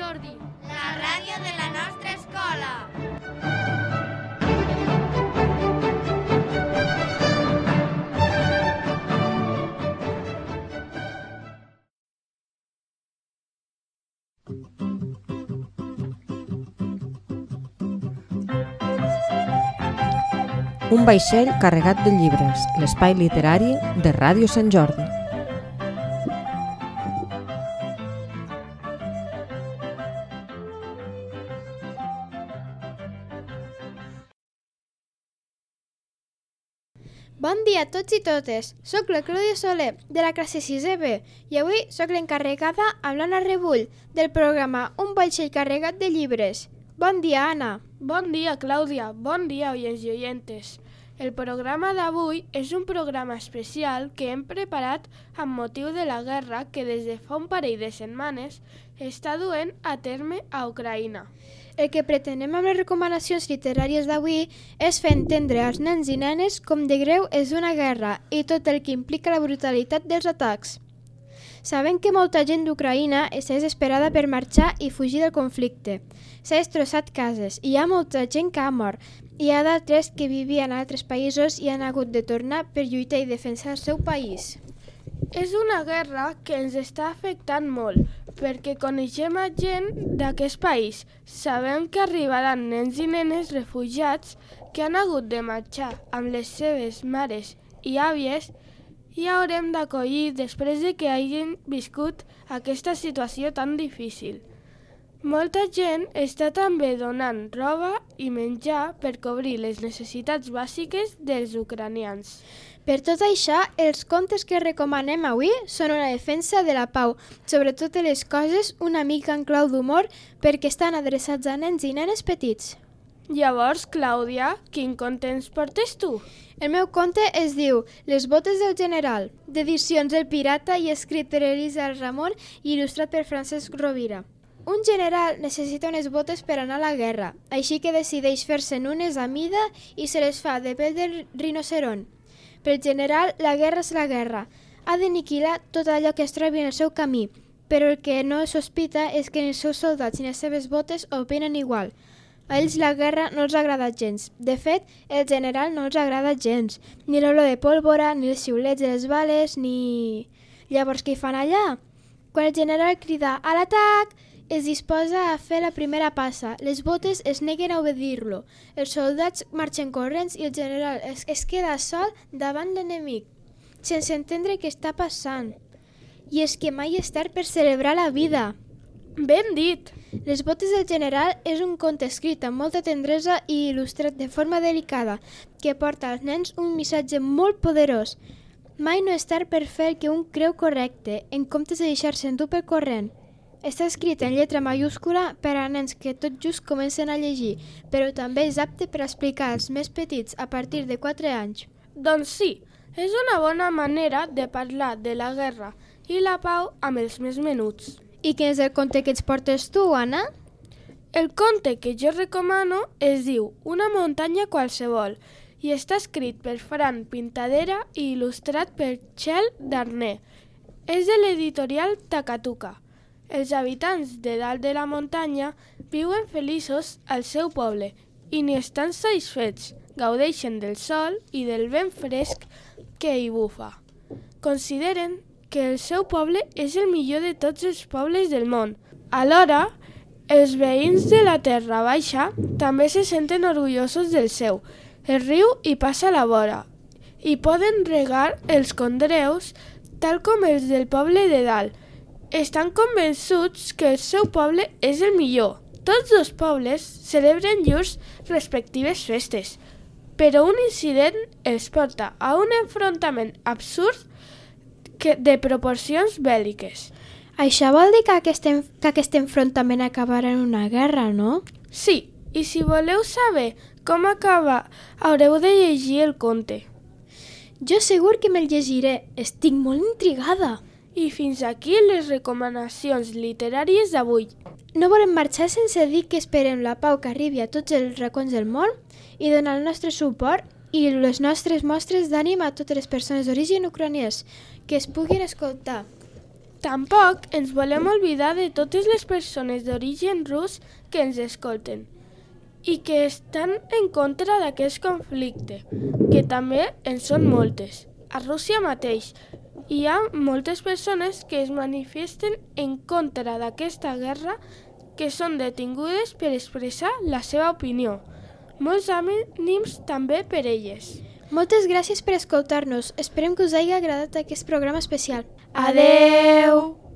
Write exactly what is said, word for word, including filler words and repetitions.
Jordi, la ràdio de la nostra escola. Un vaixell carregat de llibres, l'espai literari de Ràdio Sant Jordi. Bon dia a tots i totes, soc la Clàudia Soler, de la classe sisè B, i avui soc l'encarregada amb l'Anna Rebull, del programa Un vaixell carregat de llibres. Bon dia, Anna. Bon dia, Clàudia. Bon dia, oients i oyentes. El programa d'avui és un programa especial que hem preparat amb motiu de la guerra que des de fa un parell de setmanes està duent a terme a Ucraïna. El que pretenem amb les recomanacions literàries d'avui és fer entendre als nens i nenes com de greu és una guerra i tot el que implica la brutalitat dels atacs. Sabem que molta gent d'Ucraïna està desesperada per marxar i fugir del conflicte. S'ha destrossat cases, hi ha molta gent que ha mort. Hi ha d'altres que vivien a altres països i han hagut de tornar per lluitar i defensar el seu país. És una guerra que ens està afectant molt, perquè coneixem a gent d'aquest país. Sabem que arribaran nens i nenes refugiats que han hagut de marxar amb les seves mares i àvies i haurem d'acollir després de que hagin viscut aquesta situació tan difícil. Molta gent està també donant roba i menjar per cobrir les necessitats bàsiques dels ucranians. Per tot això, els contes que recomanem avui són una defensa de la pau, sobretot de les coses una mica en clau d'humor perquè estan adreçats a nens i nenes petits. Llavors, Clàudia, quin conte ens portes tu? El meu conte es diu Les botes del general, d'edicions El Pirata i escrit per Elisa Ramon i il·lustrat per Francesc Rovira. Un general necessita unes botes per anar a la guerra, així que decideix fer-se'n unes a mida i se les fa de pell de rinoceront. Pel general, la guerra és la guerra. Ha d'aniquilar tot allò que es trobi en el seu camí, però el que no sospita és que ni els seus soldats ni les seves botes opinen igual. A ells la guerra no els agrada gens. De fet, el general no els agrada gens. Ni l'olor de pólvora, ni els xiulets de les bales, ni... Llavors, què hi fan allà? Quan el general crida a l'atac, es disposa a fer la primera passa. Les botes es neguen a obedir-lo. Els soldats marxen corrents i el general es, es queda sol davant l'enemic, sense entendre què està passant. I és que mai és tard per celebrar la vida. Ben dit! Les botes del general és un conte escrit amb molta tendresa i il·lustrat de forma delicada que porta als nens un missatge molt poderós. Mai no és tard per fer el que un creu correcte, en comptes de deixar-se endur pel corrent. Està escrit en lletra mayúscula per a nens que tot just comencen a llegir, però també és apte per explicar als més petits a partir de quatre anys. Doncs sí, és una bona manera de parlar de la guerra i la pau amb els més menuts. I quin és el conte que ens portes tu, Anna? El conte que jo recomano es diu Una muntanya qualsevol i està escrit per Fran Pintadera i il·lustrat per Txell Darner. És de l'editorial Takatuka. Els habitants de dalt de la muntanya viuen feliços al seu poble i ni estan satisfets, gaudeixen del sol i del vent fresc que hi bufa. Consideren que el seu poble és el millor de tots els pobles del món. Alhora, els veïns de la Terra Baixa també se senten orgullosos del seu. El riu hi passa a la vora i poden regar els conreus tal com els del poble de dalt. Estan convençuts que el seu poble és el millor. Tots dos pobles celebren llurs respectives festes, però un incident els porta a un enfrontament absurd que de proporcions bèl·liques. Això vol dir que aquest, en, que aquest enfrontament acabarà en una guerra, no? Sí, i si voleu saber com acaba, haureu de llegir el conte. Jo segur que me'l llegiré, estic molt intrigada. I fins aquí les recomanacions literàries d'avui. No volem marxar sense dir que esperem la pau que arribi a tots els racons del món i donar el nostre suport i les nostres mostres d'ànim a totes les persones d'origen ucraniès que es puguin escoltar. Tampoc ens volem oblidar de totes les persones d'origen rus que ens escolten i que estan en contra d'aquest conflicte, que també en són moltes. A Rússia mateix hi ha moltes persones que es manifesten en contra d'aquesta guerra, que són detingudes per expressar la seva opinió. Molts ànims també per elles. Moltes gràcies per escoltar-nos. Esperem que us hagi agradat aquest programa especial. Adeu!